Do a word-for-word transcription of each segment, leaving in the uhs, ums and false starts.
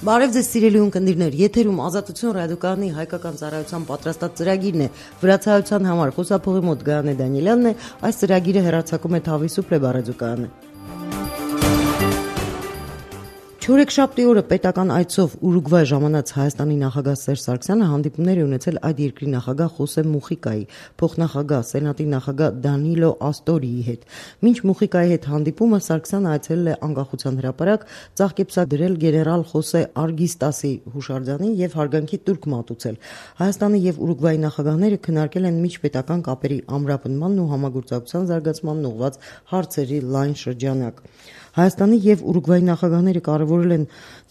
Բարև ձեզ սիրելի ունկնդիրներ, եթերում Ազատություն ռադիոկայանի հայկական ծառայության պատրաստած ծրագիրն է։ Վրացահայության համար խոսափողի մոտ Գայանե Դանիելյանն է, այս ծրագիրը հեռարձակում է Թավիսուփլե ռադիոկայանը։ Չորեքշաբթի օրը պետական այցով Ուրուգվայ ժամանած Հայաստանի նախագահ Սերժ Սարգսյանը հանդիպումներ է ունեցել այդ երկրի նախագահ Խոսե Մուխիկայի, փոխնախագահ Սենատի նախագահ Դանիլո Աստորիի հետ։ Մինչ Մուխիկայի հետ հանդիպումը Սարգսյանը այցելել է Անկախության հրապարակ, ծաղկեպսակ դրել գեներալ Խոսե Արգիստասի հուշարձանին եւ հարգանքի տուրք մատուցել։ Հայաստանի եւ Ուրուգվայի նախագահները քննարկել են միջպետական կապերի ամրապնդմանն ու համագործակցության զարգացմանն ուղղված հարցերի լայն շրջանակ։ Հայաստանի եւ Ուրուգվայի նախագահները կարևորել են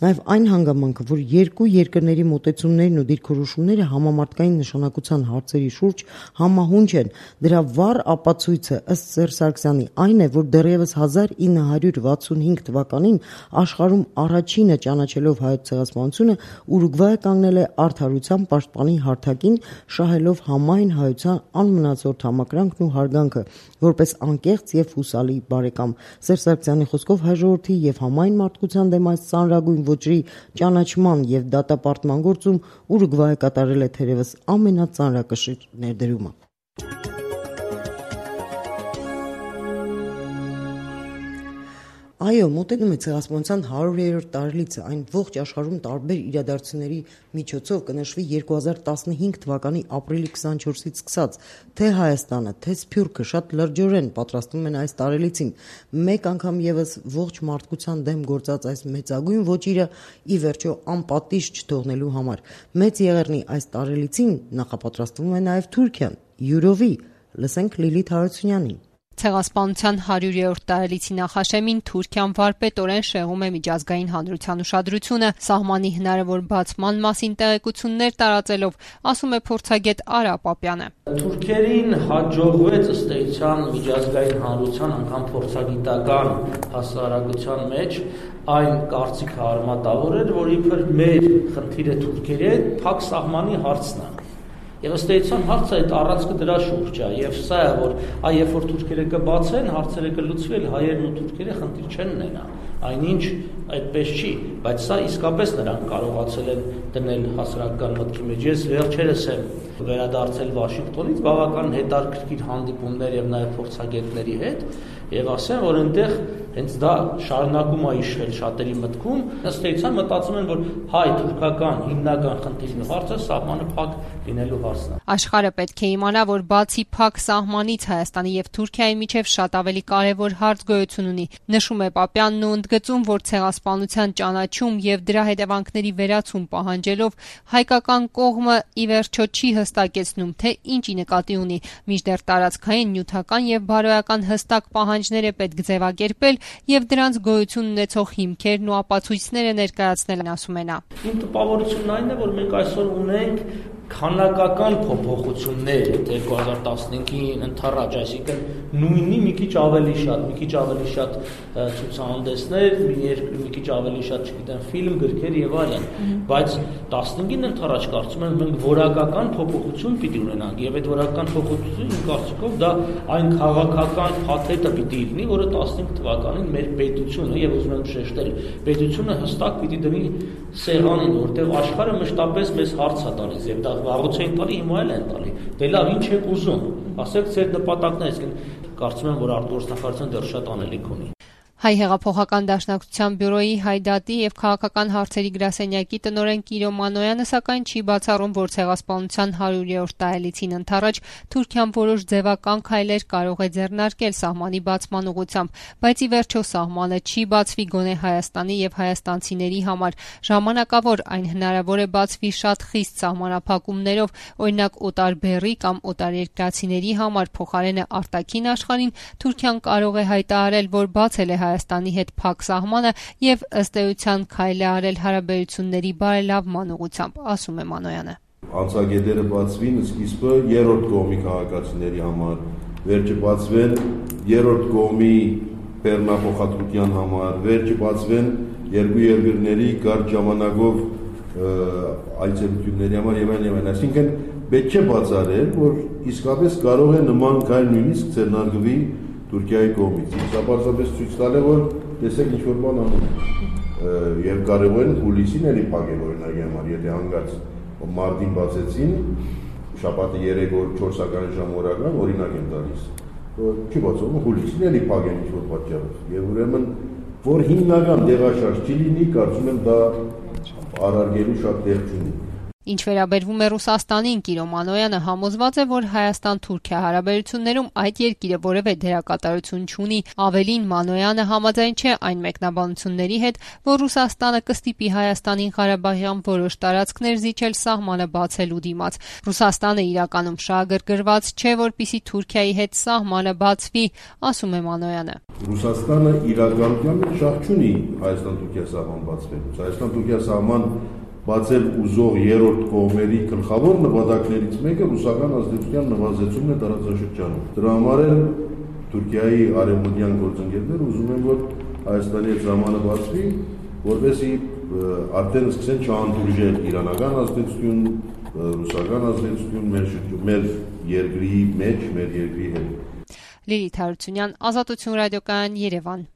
նաեւ այն հանգամանքը, որ երկու երկրների մոտեցումներն ու դիրքորոշումները համամարտկային նշանակության հարցերի շուրջ համահունչ են։ Դրա վառ ապացույցը ըստ Սերժ Սարգսյանի այն է, որ դեռևս հազար ինը հարյուր վաթսունհինգ թվականին աշխարհում առաջինը ճանաչելով հայոց ցեղասպանությունը Ուրուգվայը կանգնել է արդարության պաշտպանի հարթակին, շահելով համայն հայության անմնացորդ համակրանքն ու հարգանքը, որպես անկեղծ եւ հուսալի բարեկամ։ Սերժ Սարգսյանի խոսքով հայ ժողովրդի եւ համայն մարդկության դեմ այս ծանրագույն ոճի ճանաչման եւ դատապարտման գործում Ուրուգվայը կատարել է թերևս ամենածանրակշիռ ներդրումը։ Այո, մոտենում է ցեղասպանության հարյուրերորդ տարելիցը, այն ողջ աշխարհում տարբեր իրադարձությունների միջոցով կնշվի երկու հազար տասնհինգ թվականի ապրիլի քսանչորսից սկսած, թե Հայաստանը, թե Սփյուռքը շատ լրջորեն պատրաստվում են այս տարելիցին։ Մեկ անգամ եւս ողջ մարդկության դեմ գործած այս մեծագույն ոճիրը ի վերջո անպատիժ չթողնելու համար։ Մեծ եղեռնի այս տարելիցին նախապատրաստվում է նաեւ Թուրքիան, յուրովի։ Լսենք Լիլիթ Հարությունյանին։ Ցեղասպանության հարյուրերորդ տարելիցի նախաշեմին Թուրքիան վարպետորեն շեղում է միջազգային հանրության ուշադրությունը, սահմանի հնարավոր բացման մասին տեղեկություններ տարածելով, ասում է փորձագետ Արա Պապյանը։ Թուրքերին հաջողվեց ըստ էության միջազգային հանրության անգամ փորձագիտական հասարակության մեջ այն կարծիքը արմատավորել, որ իբր մեր խնդիրը թուրքերի հետ փակ սահմանի հարցն է։ Եվ ըստ էության հարցը այդ առանցքը դրա շուրջ է, եւ սա է, որ այ երբ որ թուրքերը կբացեն, հարցերը կլուծվի, հայերն ու թուրքերը խնդիր չեն ունենա։ Այնինչ այդպես չի, բայց սա իսկապես նրանք կարողացել են դնել հասարակական մտքի մեջ։ Ես վերջերս եմ վերադարձել Վաշինգտոնից, բավական հետաքրքիր հանդիպումներ եւ նաեւ փորձագետների հետ, եւ ասեմ, որ այնտեղ հենց դա շարունակում է իշխել շատերի մտքում, ըստ էության մտածում են, որ հայ-թուրքական հիմնական խնդիրն ու հարցը սահմանը փակ լինելու հարցն է։ Աշխարհը պետք է իմանա, որ բացի փակ սահմանից Հայաստանի եւ Թուրքիայի միջև շատ ավելի կարեւոր հարց գոյություն ունի, նշում է Պապյանն ու ընդգծում, որ ցեղասպանության ճանաչում եւ դրա հետևանքների վերացում պահանջելով հայկական կողմը ի վերջո չի հստակեցնում, թե ինչի նկատի ունի, մինչդեռ տարածքային, նյութական եւ բարոյական հստակ պահանջներ է պետք ձևակերպել եւ դրանց գոյություն ունեցող հիմքերն ու ապացույցները ներկայացնել, ասում է նա։ Իմ տպավորությունն այն է, որ մենք այսօր ունենք քանակական փոփոխություններ երկու հազար տասնհինգին ընթառաջ, այսինքն նույնի մի քիչ ավելի շատ, մի քիչ ավելի շատ ցուցահանդեսներ, մի քիչ ավելի շատ, չգիտեմ, ֆիլմ, գրքեր եւ այլն, բայց տասնհինգին ընթառաջ կարծում եմ մենք որակական փոփոխություն պիտի ունենանք եւ այդ որակական փոփոխությունը իմ կարծիքով դա այն քաղաքական փաթեթը պիտի լինի, որը տասնհինգ թվականին մեր պետությունը եւ ուզում եմ շեշտել, պետությունը հստակ պիտի դնի սեղանին, որտեղ աշխարհը մշտապես մեզ հարց է տալիս եւ դա վաղուց են տալի, հիմա էլ են տալի։ Դե լավ, ինչ եք ուզում։ Ասեք ձեր նպատակները, այսինքն կարծում եմ, որ արտգործնախարարությունը դեռ շատ անելիք ունի։ Հայ հեղափոխական դաշնակցության բյուրոյի հայդատի եւ քաղաքական հարցերի գրասենյակի տնօրեն Կիրո Մանոյանը սակայն չի բացառում, որ ցեղասպանության հարյուրերորդ տարելիցին ընթառաջ Թուրքիան որոշ ձևական քայլեր կարող է ձեռնարկել սահմանի բացման ուղղությամբ, բայց ի վերջո սահմանը չի բացվի գոնե Հայաստանի եւ հայաստանցիների համար։ Ժամանակավոր այն հնարավոր է բացվի շատ խիստ սահմանափակումներով, օրինակ օտարբեռի կամ օտարերկրացիների համար, փոխարենը արտաքին աշխարհին Թուրքիան կարող է հայտարարել, որ բացել է Հայաստանի հետ փակ սահմանը եւ ըստ էության քայլ է արել հարաբերությունների բարելավման ուղղությամբ, ասում է Մանոյանը։ Անցագետերը բացվին սկիզբը երրորդ կողմի քաղաքացիների համար, վերջը բացվեն երրորդ կողմի բեռնափոխադրության համար, վերջը բացվեն երկու երկրների կարճ ժամանակով այցելությունների համար եւ այլն եւ այլն։ Այսինքն պետք չէ բացառել, որ իսկապես կարող է նման քայլ նույնիսկ ձեռնարկվի Թուրքիայի կողմից։ Սա պարզապես ցույց տալ է, որ տեսեք ինչ որ բան անում։ եւ կարող են հուլիսին էլի փակել օրինակի համար, եթե հանգած մարտին բացեցին, շաբաթը երեք օր չորսական ժամ օրական օրինակ են տալիս, չի բացվում, հուլիսին էլի փակեն ինչ-որ պատճառով եւ ուրեմն որ հիմնական դեղաշարժ չի լինի, կարծում եմ դա առարգելու շատ տեղ չունի։ Ինչ վերաբերվում է Ռուսաստանին, Կիրո Մանոյանը համոզված է, որ Հայաստան-Թուրքիա հարաբերություններում այդ երկիրը որևէ դերակատարություն չունի։ Ավելին, Մանոյանը համաձայն չէ այն մեկնաբանությունների հետ, որ Ռուսաստանը կստիպի Հայաստանին Ղարաբաղյան որոշ տարածքներ զիջել սահմանը բացելու դիմաց։ Ռուսաստանը իրականում շահագրգռված չէ, որպեսզի Թուրքիայի հետ սահմանը բացվի, ասում է Մանոյանը։ Ռուսաստանը իրականում շահ չունի Հայաստան-Թուրքիա սահման բացվելուց։ Հայաստան-Թուրքիա սահման բացել ուզող երրորդ կողմերի գլխավոր նպատակներից մեկը ռուսական ազդեցության նվազեցումն է տարածաշրջանում։ Դրա համար էլ Թուրքիայի արևմտյան գործընկերները ուզում են, որ Հայաստանի հետ սահմանը բացվի, որովհետեւ արդեն սկսեն չհանդուրժել իրանական ազդեցություն, ռուսական ազդեցություն մեր մեր երկրի մեջ, մեր երկրի հետ։ Լիլիթ Հարությունյան, Ազատություն ռադիոկայան, Երևան։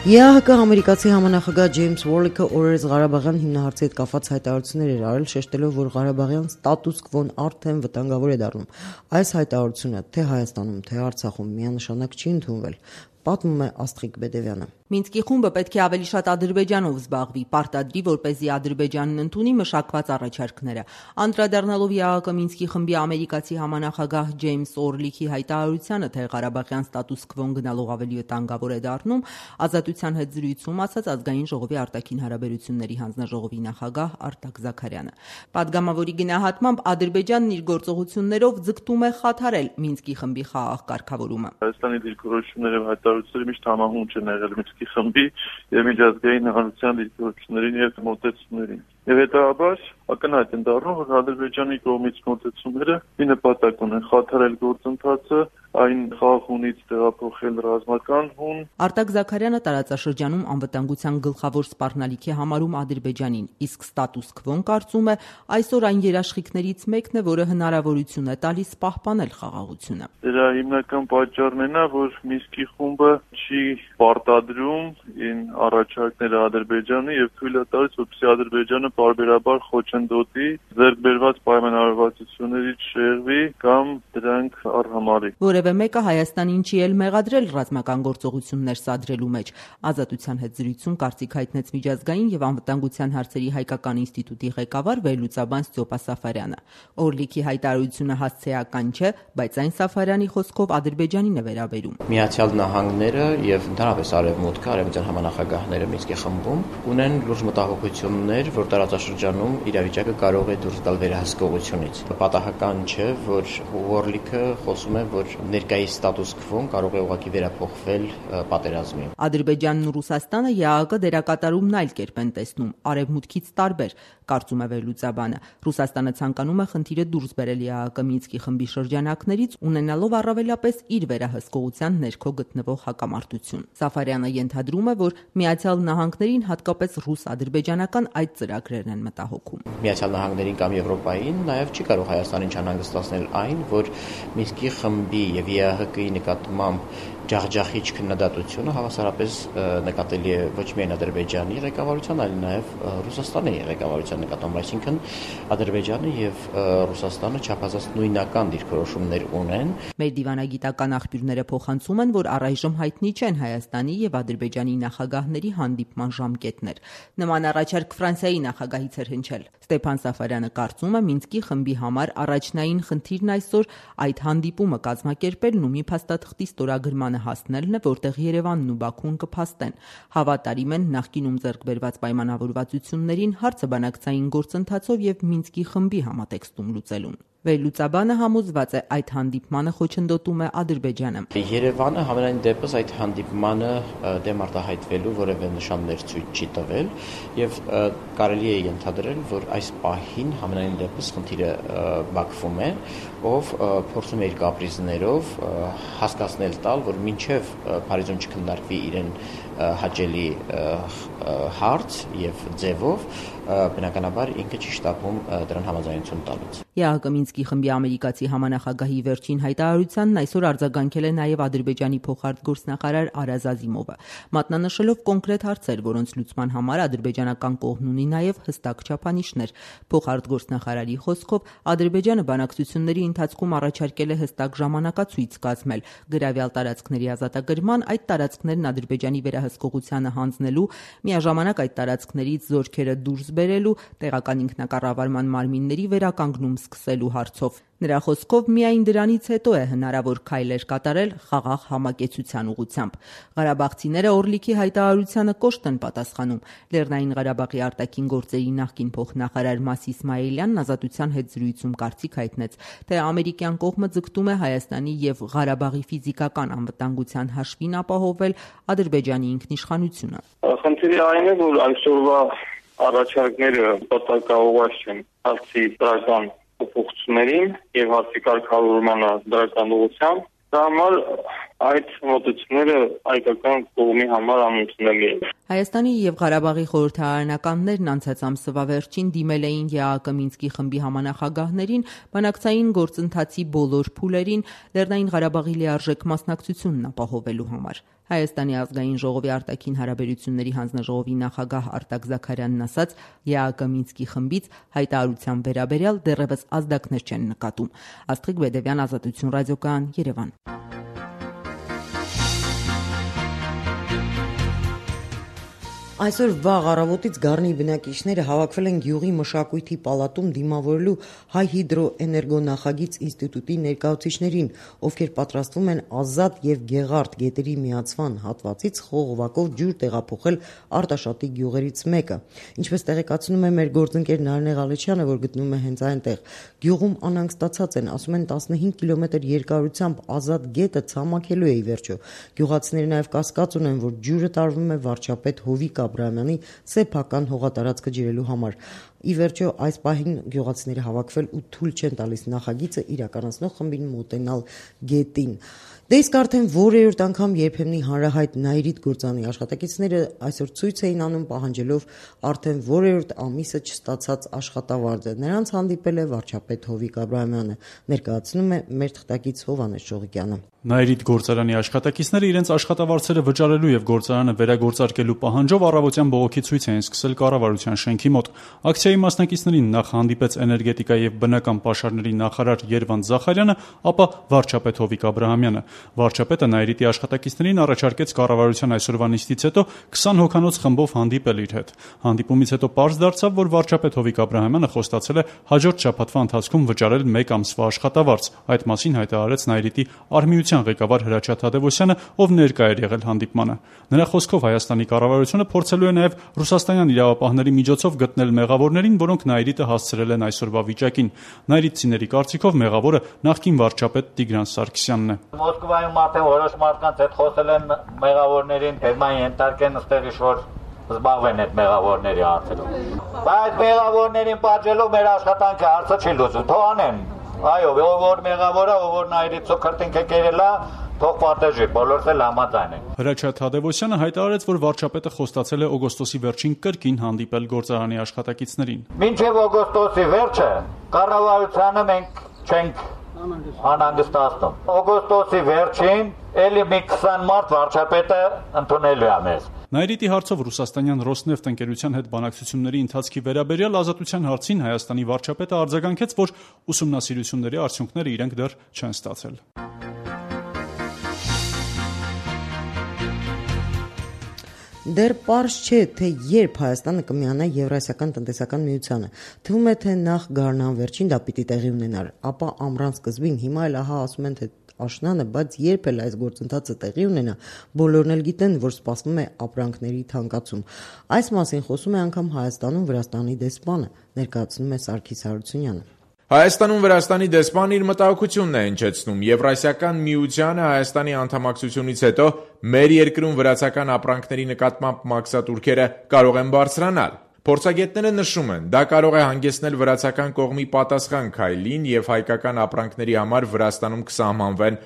ԵԱՀԿ ամերիկացի համանախագահ Ջեյմս Ուորլիքը օրերս Ղարաբաղյան հիմնահարցի հետ կապված հայտարարություններ էր արել, շեշտելով, որ Ղարաբաղյան ստատուս քվոն արդեն վտանգավոր է դառնում։ Այս հայտարարությունը թե Հայաստանում, թե Արցախում միանշանակ չի ընդունվել, պատմում է Աստղիկ Բեդևյանը։ Մինսկի խումբը պետք է ավելի շատ Ադրբեջանով զբաղվի, պարտադրի, որպեսզի Ադրբեջանն ընդունի մշակված առաջարկները։ Անդրադառնալով ԵԱՀԿ Մինսկի խմբի ամերիկացի համանախագահ Ջեյմս Օրլիքի հայտարարությանը, թե Ղարաբաղյան ստատուս քվոն գնալով ավելի վտանգավոր է դառնում, Ազատության հետ զրույցում ասաց Ազգային ժողովի արտաքին հարաբերությունների հանձնաժողովի նախագահ Արտակ Զաքարյանը։ Պատգամավորի գնահատմամբ Ադրբեջանն իր գործողություններով ձգտում է խաթարել Մինսկի խմբի խաղաղ կարգավորումը։ Հայաստանի դիրքորոշումները եւ հայտարարությունները միշտ համահունչ են եղել Մինսկի խմբի եւ միջազգային հանրության դիրքորոշումներին եւ մոտեցումներին։ Եվ հետաբար ակնհայտ են դառնում, որ Ադրբեջանի կողմից մոտեցումները մի նպատակ ունեն՝ խաթարել գործընթացը, այն խաղաղունից տեղափոխել ռազմական հուն։ Արտակ Զաքարյանը տարածաշրջանում անվտանգության գլխավոր սպառնալիքի համարում Ադրբեջանին, իսկ ստատուս քվոն կարծում է այսօր այն երաշխիքներից մեկն է, որը հնարավորություն է տալիս պահպանել խաղաղությունը։ Դրա հիմնական պատճառն է, որ Մինսկի խումբը չի պարտադրում ին առաջարկները Ադրբեջանի եւ թույլ է տալիս, որպեսզի Ադրբեջանը պարբերաբար խոչընդոտի, ձեռք բերված պայմանավորվածություններից շեղվի կամ դրանք արհամարի։ Որևէ մեկը Հայաստանին չի էլ մեղադրել ռազմական գործողություններ սադրելու մեջ։ Ազատության հետ զրույցում կարծիք հայտնեց միջազգային եւ անվտանգության հարցերի հայկական ինստիտուտի ղեկավար վերլուծաբան Ստյոպա Սաֆարյանը։ Օրլիքի հայտարարությունը հասցեական չէ, բայց այն Սաֆարյանի խոսքով Ադրբեջանին է վերաբերում։ Միացյալ Նահանգները եւ ընդհանրապես Արևմուտքը, արևմտյան համանախագահները Մինսկի խմբում ունեն լուրջ մտահոգություններ, որ տարածաշրջանում իրավիճակը կարող է դուրս գալ վերահսկողությունից։ Պատահական չէ, որ Ուորլիքը խոսում է, որ ներկայիս ստատուս քվոն կարող է ուղղակի վերափոխվել պատերազմի։ Ադրբեջանն ու Ռուսաստանը ԵԱՀԿ դերակատարումն այլ կերպ են տեսնում, արևմուտքից տարբեր, կարծում է վերլուծաբանը։ Ռուսաստանը ցանկանում է խնդիրը դուրս բերել ԵԱՀԿ Մինսկի խմբի շրջանակներից, ունենալով առավելապես իր վերահսկողության ներքո գտնվող հակամարտություն։ Սաֆարյանը ենթադրում է, որ Միացյալ Նահանգներին հատկապես ռուս-ադրբեջանական այդ ծրագրերն են մտահոգում։ Միացյալ Նահանգներին կամ Եվրոպային նաև չի կարող Հայաստանին չանհանգստացնել այն, որ Մինսկի խմբի եւ ԵԱՀԿ-ի նկատմամբ ջախջախիչ քննադատությունը հավասարապես նկատելի է ոչ միայն Ադրբեջանի ղեկավարության, այլ նաև Ռուսաստանի ղեկավարության նկատմամբ, այսինքն Ադրբեջանը եւ Ռուսաստանը չափազանց նույնական դիրքորոշումներ ունեն։ Մեր դիվանագիտական աղբյուրները փոխանցում են, որ առայժմ հայտնի չեն Հայաստանի եւ Ադրբեջանի նախագահների հանդիպման ժամկետներ։ Նման առաջարկ Ֆրանսիայի նախագահից էր հնչել։ Ստեփան Սաֆարյանը կարծում է, Մինսկի խմբի համար առաջնային խնդիրն այսօր այդ հանդիպումը կազմակերպելն ու մի փաստաթղթի ստորագրման հասնելն է, որտեղ Երևանն ու Բաքուն կփաստեն, հավատարիմ են նախկինում ձեռք բերված պայմանավորվածություններին հարցը բանակցային գործընթացով եւ Մինսկի խմբի համատեքստում լուծելուն։ Վերլուծաբանը համոզված է, այդ հանդիպմանը խոչընդոտում է Ադրբեջանը։ Երևանը համենայն դեպս այդ հանդիպմանը դեմ արտահայտվելու որևէ նշաններ ցույց չի տվել եւ կարելի է ենթադրել, որ այս պահին համենայն դեպս խնդիրը Բաքվում է, ով փորձում է իր կապրիզներով հասկացնել տալ, որ մինչև Փարիզում չքննարկվի իրեն հաճելի հարց եւ ձևով բնականաբար ինքը չի շտապում դրան համաձայնություն տալուց։ ԵԱՀԿ Մինսկի խմբի ամերիկացի համանախագահի վերջին հայտարարությանն այսօր արձագանքել է նաև Ադրբեջանի փոխարտգործնախարար Արազ Ազիմովը, մատնանշելով կոնկրետ հարցեր, որոնց լուծման համար ադրբեջանական կողմն ունի նաև հստակ չափանիշներ։ Փոխարտգործնախարարի խոսքով Ադրբեջանը բանակցությունների ընթացքում առաջարկել է հստակ ժամանակացույց կազմել գրավյալ տարածքների ազատագրման, այդ տարածքներն Ադրբեջանի վերահսկողությանը հանձնելու, միաժամանակ այդ տարածքներից զորքերը դուրս բերելու, տեղական ինքնակառավարման մարմինների վերականգնում սկսելու հարցով։ Նրա խոսքով միայն դրանից հետո է հնարավոր քայլեր կատարել խաղաղ համակեցության ուղղությամբ։ Ղարաբաղցիները Օրլիքի հայտարարությանը կոշտ են պատասխանում։ Լեռնային Ղարաբաղի արտաքին գործերի նախկին փոխնախարար Մաս Իսմայելյանն Ազատության հետ զրույցում կարծիք հայտնեց, թե ամերիկյան կողմը ձգտում է Հայաստանի եւ Ղարաբաղի ֆիզիկական անվտանգության հաշվին ապահովել Ադրբեջանի ինքնիշխանությունը։ Խնդիրը այն է, որ այսօրվա առաջարկները պատակաուղղված չեն հարցի դրական փոփոխություններին եւ հարցի կարգավորմանը դրական ուղղությամբ, դա համար այդ մոտեցումները հայկական կողմի համար անընդունելի են։ Հայաստանի եւ Ղարաբաղի խորհրդարանականներն անցած ամսվա վերջին դիմել էին ԵԱՀԿ Մինսկի խմբի համանախագահներին բանակցային գործընթացի բոլոր փուլերին Լեռնային Ղարաբաղի լիարժեք մասնակցությունն ապահովելու համար։ Հայաստանի ազգային ժողովի արտաքին հարաբերությունների հանձնաժողովի նախագահ Արտակ Զաքարյանն ասաց, ԵԱՀԿ Մինսկի խմբից հայտարարության վերաբերյալ դեռևս ազդակներ չեն նկատում։ Աստղիկ Բեդևյան, Ազատություն ռադիոկայան, Երևան։ Այսօր վաղ առավոտից Գառնի բնակիչները հավաքվել են Գյուղի մշակույթի պալատում դիմավորելու Հայ հիդրոէներգո նախագիծ ինստիտուտի ներկայացուցիչներին, ովքեր պատրաստվում են Ազատ եւ Գեղարդ գետերի միացման հատվածից խողովակով ջուր տեղափոխել Արտաշատի գյուղերից մեկը։ Ինչպես տեղեկացնում է մեր գործընկեր Նարինե Ղալեչյանը, որ գտնվում է հենց այնտեղ, գյուղում անհանգստացած են, ասում են տասնհինգ կիլոմետր երկարությամբ Ազատ գետը ցամաքելու է ի վերջո։ Գյուղացիները նաեւ կասկած ունեն, որ ջուրը տարվում է վարչապետ Հովիկ Աբրահամյանի սեփական հողատարածքը ջրելու համար։ Ի վերջո այս պահին գյուղացիները հավաքվել ու թույլ չեն տալիս նախագիծը իրականացնող խմբին մոտենալ գետին։ Դե իսկ արդեն որերորդ անգամ երբեմնի հանրահայտ Նայիրիդ գործանի աշխատակիցները այսօր ցույց էին անում պահանջելով արդեն որերորդ ամիսը չստացած աշխատավարձը։ Նրանց հանդիպել է վարչապետ Հովիկ Աբրահամյանը, ներկայացնում է մեր թղթակից Հովհաննես Շողիկյանը։ Նայիրիդ գործարանի աշխատակիցները իրենց աշխատավարձերը վճարելու եւ գործարանը վերագործարկելու պահանջով առավոտյան բողոքի ցույց էին սկսել կառավարության շենքի մոտ։ Ակցիայի մասնակիցներին նախ հանդիպեց էներգետիկա եւ բնական պաշարների նախարար Երվանդ Զախարյանը, ապա վարչապետ Հովիկ Աբրահամյանը։ Վարչապետը Նայիրիդի աշխատակիցներին առաջարկեց կառավարության այսօրվա նիստից հետո քսան հոգանոց խմբով հանդիպել իր հետ։ Հանդիպումից հետո պարզ դարձավ, որ վարչապետ Հովիկ Աբրահամյանը խոստացել է հաջորդ շաբաթվա ընթացքում վճարել մեկ ամսվա աշխատավարձ։ Այդ մասին հայտարարեց Նայիրիդի արմիության ղեկավար Հրաչյա Թադևոսյանը, ով ներկա էր եղել հանդիպմանը։ Նրա խոսքով Հայաստանի կառավարությունը փորձելու է նաև ռուսաստանյան իրավապահների միջոցով գտնել մեղավորներին, որոնք Նայիրիդը հասցրել են այսօրվա վիճակին։ Նայիրիդցիների կարծիքով մեղավորը նախկին վարչապետ Տիգրան Սարգսյանն է։ Մոսկվայում արդեն որոշ մարդկանց հետ խոսել են մեղավորներին, թեման ենթարկեն ըստեղ ինչ-որ զբաղվեն այդ մեղավորների հարցերով։ Բայց մեղավորներին պատժելով մեր աշխատանքը հարցը չի լուծում, թող անեն։ Այո, ով որ մեղավորը, ով որ Նայիրիդցու քրտինքը կերելա, թող պատժի, բոլորս էլ համաձայն են։ Հրաչյա Թադևոսյանը հայտարարեց, որ վարչապետը խոստացել է օգոստոսի վերջին կրկին հանդիպել գործարանի աշխատակիցներին։ Մինչև օգոստոսի վերջը կառավարությանը մենք չենք անհանգստացնում։ Օգոստոսի վերջին էլի մի քսան մարդ վարչապետը ընդունելու է մեզ։ Նայիրիդի հարցով ռուսաստանյան Ռոսնեֆտ ընկերության հետ բանակցությունների ընթացքի վերաբերյալ Ազատության հարցին Հայաստանի վարչապետը արձագանքեց, որ ուսումնասիրությունների արդյունքները իրենք դեռ չեն ստացել։ Դեռ պարզ չէ, թե երբ Հայաստանը կմիանա Եվրասիական տնտեսական միությանը։ Թվում է, թե նախ գարնան վերջին դա պիտի տեղի ունենար, ապա ամռան սկզբին, հիմա էլ ահա ասում են, թե աշնանը, բայց երբ էլ այս գործընթացը տեղի ունենա, բոլորն էլ գիտեն, որ սպասվում է ապրանքների թանկացում։ Այս մասին խոսում է անգամ Հայաստանում Վրաստանի դեսպանը, ներկայացնում է Սարգիս Հարությունյանը։ Հայաստանում Վրաստանի դեսպանն իր մտահոգությունն է հնչեցնում։ Եվրասիական միությանը Հայաստանի անդամակցությունից հետո մեր երկրում վրացական ապրանքների նկատմամբ մաքսատուրքերը կարող են բարձրանալ։ Փորձագետները նշում են, դա կարող է հանգեցնել վրացական կողմի պատասխան քայլին եւ հայկական ապրանքների համար Վրաստանում կսահմանվեն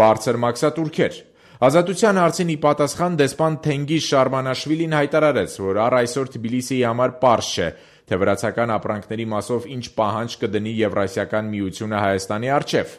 բարձր մաքսատուրքեր։ Ազատության հարցին ի պատասխան դեսպան Թենգիզ Շարմանաշվիլին հայտարարեց, որ առ այսօր Թբիլիսիի համար պարզ չէ, թե վրացական ապրանքների մասով ինչ պահանջ կդնի Եվրասիական միությունը Հայաստանի առջև։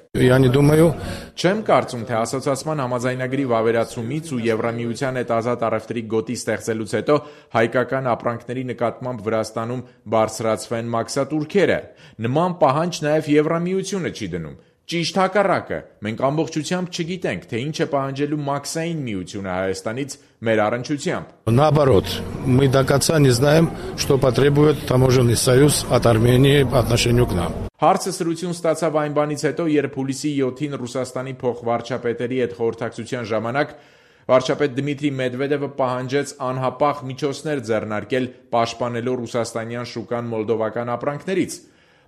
Չեմ կարծում, թե ասոցիացման համաձայնագրի վավերացումից ու Եվրամիության հետ ազատ առևտրի գոտի ստեղծելուց հետո հայկական ապրանքների նկատմամբ Վրաստանում բարձրացվեն մաքսատուրքերը։ Նման պահանջ նաև Եվրամիությունը չի դնում։ Ճիշտ հակառակը, մենք ամբողջությամբ չգիտենք, թե ինչ է պահանջելու Մաքսային միությունը Հայաստանից մեր առնչությամբ։ Наоборот, мы до конца не знаем, что потребует таможенный союз от Армении по отношению к нам. Հարցը սրություն ստացավ այն բանից հետո, երբ հուլիսի յոթին Ռուսաստանի փոխվարչապետերի հետ խորհրդակցության ժամանակ վարչապետ Դմիտրի Մեդվեդևը պահանջեց անհապաղ միջոցներ ձեռնարկել պաշտպանելու ռուսաստանյան շուկան մոլդովական ապրանքներից։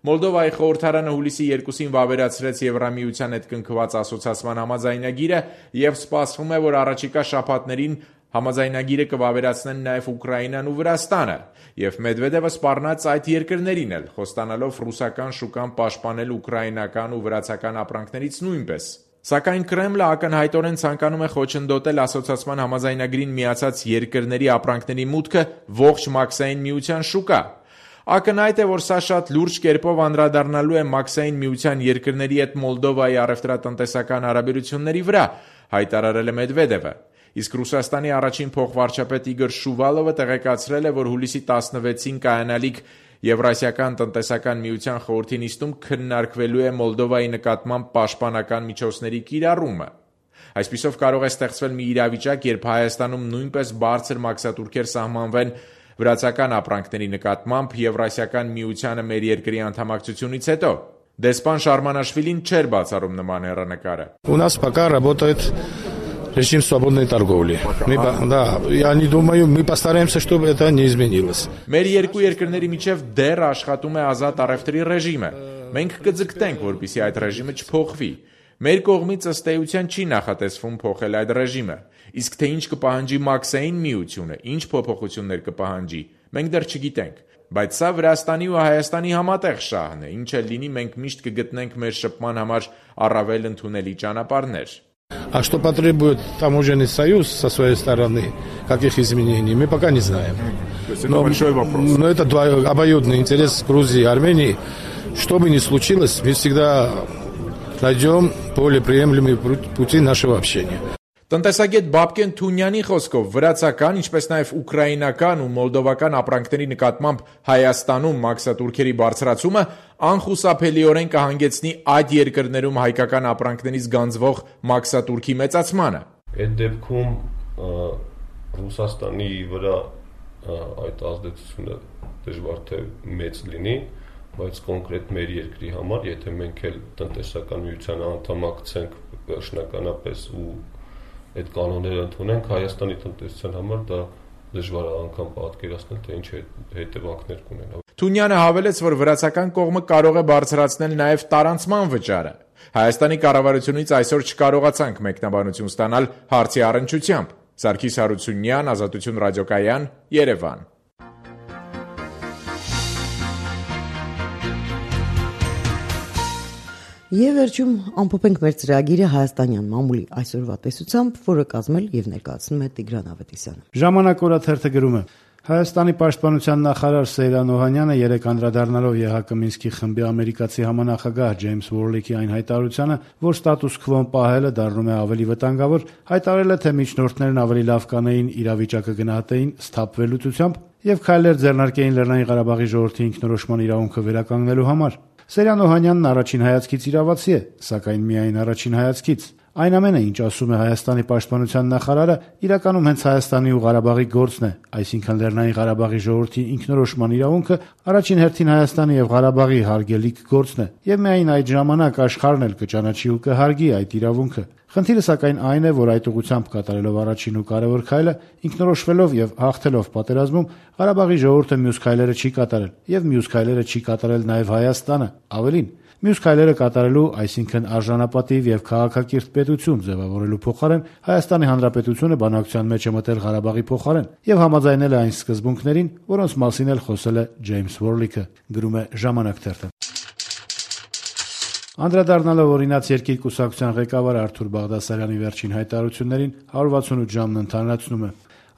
Մոլդովայի խորհրդարանը հուլիսի երկուսին վավերացրեց Եվրամիության հետ կնքված ասոցիացման համաձայնագիրը եւ սպասվում է, որ առաջիկա շաբաթներին համաձայնագիրը կվավերացնեն նաև Ուկրաինան ու Վրաստանը, եւ Մեդվեդևը սպառնաց այդ երկրներին էլ, խոստանալով ռուսական շուկան պաշտպանել ուկրաինական ու վրացական ապրանքներից նույնպես։ Սակայն Կրեմլը ակնհայտորեն ցանկանում է խոչընդոտել ասոցիացման համաձայնագրին միացած երկրների ապրանքների մուտքը ողջ Մաքսային միության շուկա։ Ակնհայտ է, որ սա շատ լուրջ կերպով անդրադառնալու է Մաքսային միության երկրների հետ Մոլդովայի առևտրատնտեսական հարաբերությունների վրա, հայտարարել է Մեդվեդևը։ Իսկ Ռուսաստանի առաջին փոխվարչապետ Իգոր Շուվալովը տեղեկացրել է, որ հուլիսի տասնվեցին կայանալիք Եվրասիական տնտեսական միության խորհրդի նիստում քննարկվելու է Մոլդովայի նկատմամբ պաշտպանական միջոցների կիրառումը։ Այսպիսով կարող է ստեղծվել մի իրավիճակ, երբ Հայաստանում նույնպես բարձր մաքսատուրքեր սահմանվեն վրացական ապրանքների նկատմամբ Եվրասիական միությանը մեր երկրի անդամակցությունից հետո։ Դեսպան Շարմանաշվիլին չէր բացառում նման հեռանկարը։ У нас пока работает режим свободной торговли. Мы, да, я не думаю, мы постараемся, чтобы это не изменилось. Մեր երկու երկրների միջև դեռ աշխատում է ազատ առևտրի ռեժիմը։ Մենք կձգտենք, որպեսզի այդ ռեժիմը չփոխվի։ Մեր կողմից ըստ էության չի նախատեսվում փոխել այդ ռեժիմը։ Իսկ թե ինչ կպահանջի Մաքսային միությունը, ինչ փոփոխություններ կպահանջի, մենք դեռ չգիտենք, բայց սա Վրաստանի ու Հայաստանի համատեղ շահն է, ինչ էլ լինի, մենք միշտ կգտնենք մեր շփման համար առավել ընդունելի ճանապարհներ։ А что потребует таможенный союз со своей стороны, каких изменений, мы пока не знаем. Но, но это обоюдный интерес Грузии и Армении. Что бы ни случилось, мы всегда найдем более приемлемые пути нашего общения. Տնտեսագետ Բաբկեն Թունյանի խոսքով վրացական, ինչպես նաև ուկրաինական ու մոլդովական ապրանքների նկատմամբ Հայաստանում մաքսատուրքերի բարձրացումը անխուսափելիորեն կհանգեցնի այդ երկրներում հայկական ապրանքներից գանձվող մաքսատուրքի մեծացմանը։ Այդ դեպքում Ռուսաստանի վրա այդ ազդեցությունը դժվար թե մեծ լինի, բայց կոնկրետ մեր երկրի համար, եթե մենք էլ տնտեսական միության անդամակցենք վերջնականապես ու այդ կանոնները ընդունենք, Հայաստանի տնտեսության համար դա դժվար է անգամ պատկերացնել, թե ինչ հետևանքներ կունենա։ Թունյանը հավելեց, որ վրացական կողմը կարող է բարձրացնել նաև տարանցման վճարը։ Հայաստանի կառավարությունից այսօր չկարողացանք մեկնաբանություն ստանալ հարցի առնչությամբ։ Սարգիս Հարությունյան, Ազատություն ռադիոկայան, Երևան։ Եվ վերջում ամփոփենք մեր ծրագիրը հայաստանյան մամուլի այսօրվա տեսությամբ, որը կազմել եւ ներկայացնում է Տիգրան Ավետիսյանը։ Ժամանակ օրաթերթը գրում է. Հայաստանի պաշտպանության նախարար Սեյրան Օհանյանը երեկ անդրադառնալով ԵՀԿ Մինսկի խմբի ամերիկացի համանախագահ Ջեյմս Ուորլիքի այն հայտարարությանը, որ ստատուս քվոն պահելը դառնում է ավելի վտանգավոր, հայտարարել է, թե միջնորդներն ավելի լավ կանեին իրավիճակը գնահատեին սթափվելու ցությամբ եւ քայլեր ձեռնարկեին Լեռնային Ղարաբաղի ժողովրդի ինքնորոշման իրավունքը վերականգնելու համար։ Սեյրան Օհանյանն առաջին հայացքից իրավացի է, սակայն միայն առաջին հայացքից։ Այն ամենը, ինչ ասում է Հայաստանի պաշտպանության նախարարը, իրականում հենց Հայաստանի ու Ղարաբաղի գործն է, այսինքն Լեռնային Ղարաբաղի ժողովրդի ինքնորոշման իրավունքը առաջին հերթին Հայաստանի եւ Ղարաբաղի հարգելիք գործն է, եւ միայն այդ ժամանակ աշխարհն էլ կճանաչի ու կհարգի այդ իրավունքը։ Խնդիրը սակայն այն է, որ այդ ուղղությամբ կատարելով առաջին ու կարևոր քայլը, ինքնորոշվելով եւ հաղթելով պատերազմում, Ղարաբաղի ժողովուրդը մյուս քայլերը չի կատարել եւ մյուս քայլերը չի կատարել նաեւ Հայաստանը։ Ավելին, մյուս քայլերը կատարելու, այսինքն արժանապատիվ եւ քաղաքակիրթ պետություն ձևավորելու փոխարեն Հայաստանի Հանրապետությունը բանակցության մեջ է մտել Ղարաբաղի փոխարեն եւ համաձայնել է այն սկզբունքներին, որոնց մասին էլ խոսել է Ջեյմս Ուորլիքը, գրում է Ժամանակ թերթը։ Անդրադառնալով օրինաց երկիր կուսակցության ղեկավար Արթուր Բաղդասարյանի վերջին հայտարարություններին հարյուր վաթսունութ ժամն ընդհանրացնում է։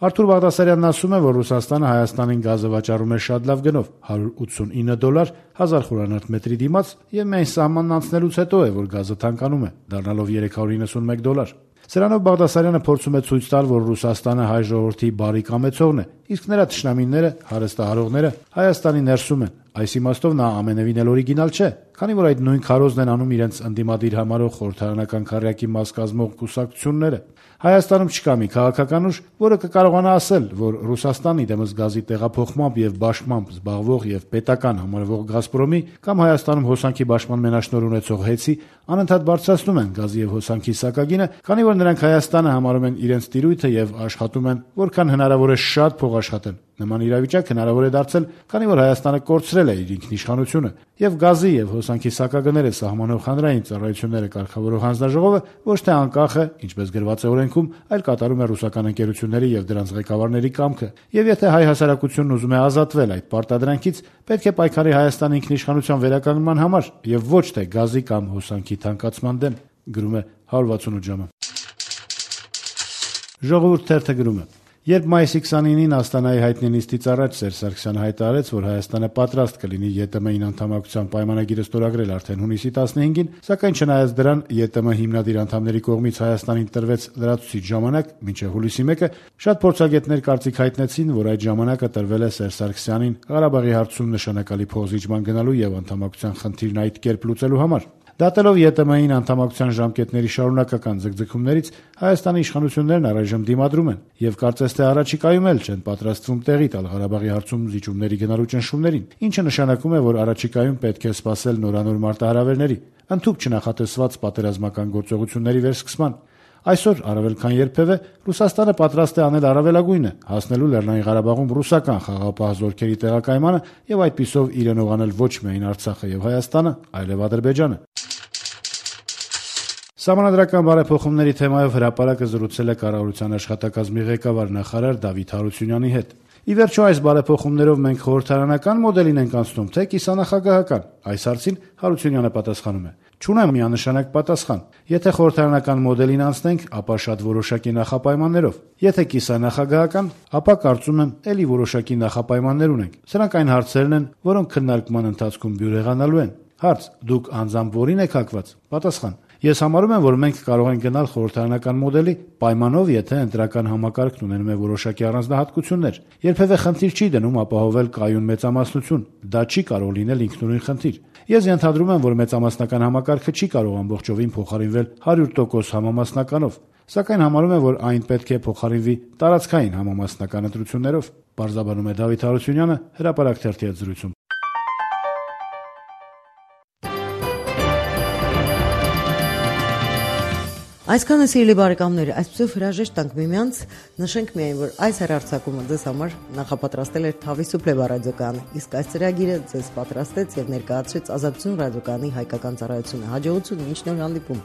Արթուր Բաղդասարյանն ասում է, որ Ռուսաստանը Հայաստանին գազը վաճառում է շատ լավ գնով՝ հարյուր ութսունինը դոլար հազար խորանարդ մետրի դիմաց, եւ միայն սահմանն անցնելուց հետո է, որ գազը թանկանում է, դառնալով երեք հարյուր իննսունմեկ դոլար։ Սրանով Բաղդասարյանը փորձում է ցույց տալ, որ Ռուսաստանը հայ ժողովրդի բարի կամեցողն է, իսկ նրա թշնամիները, հարստահարողները Հայաստանի ներսում են։ Այս իմաստով նա ամենևին էլ օրիգինալ չէ, քանի որ այդ նույն քարոզն են անում իրենց ընդդիմադիր համարող խորհրդարանական քառյակի մաս կազմող կուսակցությունները։ Հայաստանում չկա մի քաղաքական ուժ, որը կկարողանա ասել, որ Ռուսաստանի դեմս գազի տեղափոխմամբ եւ բաշխմամբ զբաղվող եւ պետական համարվող «Գազպրոմի» կամ Հայաստանում հոսանքի բաշխման մենաշնորհ ունեցող «ՀԵՑ»-ի անընդհատ բարձրացնում են գազի եւ հոսանքի սակագինը, քանի որ նրանք Հայաստանը համարում են իրենց տիրույթը եւ աշխատում են որքան հնարավոր է շատ փող աշխատեն։ Նման իրավիճակ հնարավոր է դարձել, քանի որ Հայաստանը կորցրել է իր ինքնիշխանությունը, եւ գազի եւ հոսանքի սակագները սահմանող հանրային ծառայությունները կարգավորող հանձնաժողովը ոչ թե անկախ է, ինչպես գրված է օրենքում, այլ կատարում է ռուսական ընկերությունների եւ դրանց ղեկավարների կամքը։ Եվ եթե հայ հասարակությունն ուզում է ազատվել այդ պարտադրանքից, պետք է պայքարի Հայաստանի ինքնիշխանության վերականգնման համար եւ ոչ թե գազի կամ հոսանքի թանկացման դեմ, գրում է հարյուր վաթսունութ ժամը։ Ժողովուրդ թերթը գրում է. Երբ մայիսի քսանինին Աստանայի հայտնի նիստից առաջ Սերժ Սարգսյանը հայտարարեց, որ Հայաստանը պատրաստ կլինի ԵՏՄ-ին անդամակցության պայմանագիրը ստորագրել արդեն հունիսի տասնհինգին, սակայն չնայած դրան ԵՏՄ հիմնադիր անդամների կողմից Հայաստանին տրվեց լրացուցիչ ժամանակ, մինչև հուլիսի մեկը, շատ փորձագետներ կարծիք հայտնեցին, որ այդ ժամանակը տրվել է Սերժ Սարգսյանին Ղարաբաղի հարցում նշանակալի փոխզիջման գնալու եւ անդամակցության խնդիրն այդ կերպ լուծելու համար։ Դատելով ԵՏՄ-ին անդամակցության ժամկետների շարունակական ձգձգումներից, Հայաստանի իշխանություններն առայժմ դիմադրում են եւ կարծես թե առաջիկայում էլ չեն պատրաստվում տեղի տալ Ղարաբաղի հարցում զիջումների գնալու ճնշումներին, ինչը նշանակում է, որ առաջիկայում պետք է սպասել նորանոր մարտահրավերների, ընդհանուր չնախատեսված պատերազմական գործողությունների վերսկսման։ Այսօր առավել քան երբևէ Ռուսաստանը պատրաստ է անել առավելագույնը, հասնելու Լեռնային Ղարաբաղում ռուսական խաղաղապահ զորքերի տեղակայմանը եւ այդպիսով իրենով անել ոչ միայն Արցախը եւ Հայաստանը, այլև Ադրբեջանը։ Սահմանադրական բարեփոխումների թեմայով հրապարակը զրուցել է կառավարության աշխատակազմի ղեկավար նախարար Դավիթ Հարությունյանի հետ։ Ի վերջո այս բարեփոխումներով մենք խորհրդարանական մոդելին ենք անցնում, թե կիսանախագահական։ Այս հարցին Հարությունյանը պատասխանում է. Չունեմ միանշանակ պատասխան։ Եթե խորհրդարանական մոդելին անցնենք, ապա շատ որոշակի նախապայմաններով։ Եթե կիսանախագահական, ապա կարծում եմ, ելի որոշակի նախապայմաններ ունենք։ Սրանք այն հարցերն են, որոնք քննարկման ընթացքում բյուրեղանալու են։ Հարց. դուք անձամբ որին եք հակված։ Պատասխան. Ես համարում եմ, որ մենք կարող ենք գնալ խորհրդարանական մոդելի պայմանով, եթե ընտրական համակարգն ունենում է որոշակի առանձնահատկություններ։ Երբևէ խնդիր չի դնում ապահովել կայուն մեծամասնություն։ Դա չի կարող լինել ինքնուրույն խնդիր։ Ես ենթադրում եմ, որ մեծամասնական համակարգը չի կարող ամբողջովին փոխարինվել հարյուր տոկոս համամասնականով, սակայն համարում եմ, որ այն պետք է փոխարինվի տարածքային համամասնական ընտրություններով։ Պարզաբանում է Դավիթ Հարությունյանը հրապարակ թերթի հետ զրույցում։ Այսքանը սիրելի բարեկամներ, այսպեսով հրաժեշտ տանք միմյանց, նշենք միայն, որ այս հեռարձակումը ձեզ համար նախապատրաստել էր Թավի Սուպլե ռադիոկայանը, իսկ այս ծրագիրը ձեզ պատրաստեց եւ ներկայացրեց Ազատություն ռադիոկայանի հայկական ծառայությունը։ Հաջողություն, մինչ նոր հանդիպում։